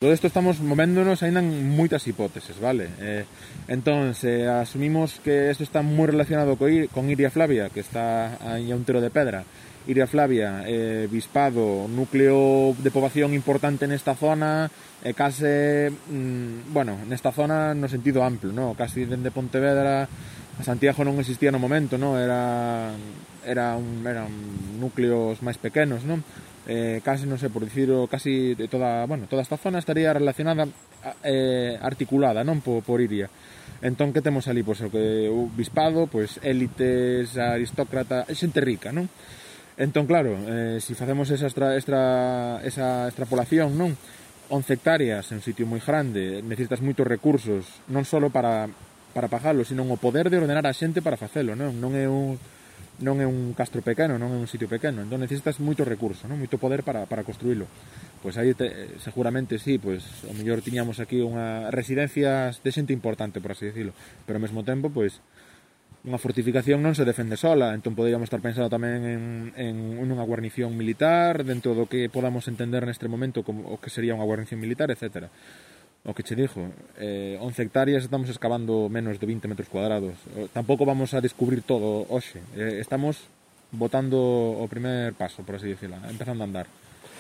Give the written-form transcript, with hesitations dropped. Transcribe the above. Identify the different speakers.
Speaker 1: Todo isto estamos movéndonos aínda en moitas hipóteses, vale? Entón, se asumimos que isto está moi relacionado con Iria Flavia, que está aí a un tiro de pedra. Iria Flavia, bispado, núcleo de poboación importante nesta zona, case, bueno, nesta zona no sentido amplo, no? Casi dende Pontevedra a Santiago non existía no momento, no? Eran núcleos máis pequenos, non? Casi, non sei, por dicirlo, casi toda esta zona estaría relacionada, articulada, non, por Iria. Entón, que temos ali? Pois o que o bispado, pois élites, aristócrata, xente rica, non? Entón, claro, se facemos esa extrapolación, non? 11 hectáreas en un sitio moi grande, necesitas moitos recursos, non só para pagalo, sino o poder de ordenar a xente para facelo, non? Non é un castro pequeno, non é un sitio pequeno, entón necesitas moito recurso, non? Moito poder para construílo. Pois aí seguramente sí, pois o mellor tiñamos aquí unha residencia de xente importante, por así decirlo, pero ao mesmo tempo, pois unha fortificación non se defende sola, entón poderíamos estar pensando tamén en unha guarnición militar dentro do que podamos entender neste momento como o que sería unha guarnición militar, etcétera. O que che dixo, 11 hectáreas estamos excavando menos de 20 metros cuadrados. Tampouco vamos a descubrir todo hoxe. Estamos botando o primer paso, por así decirlo, empezando a andar.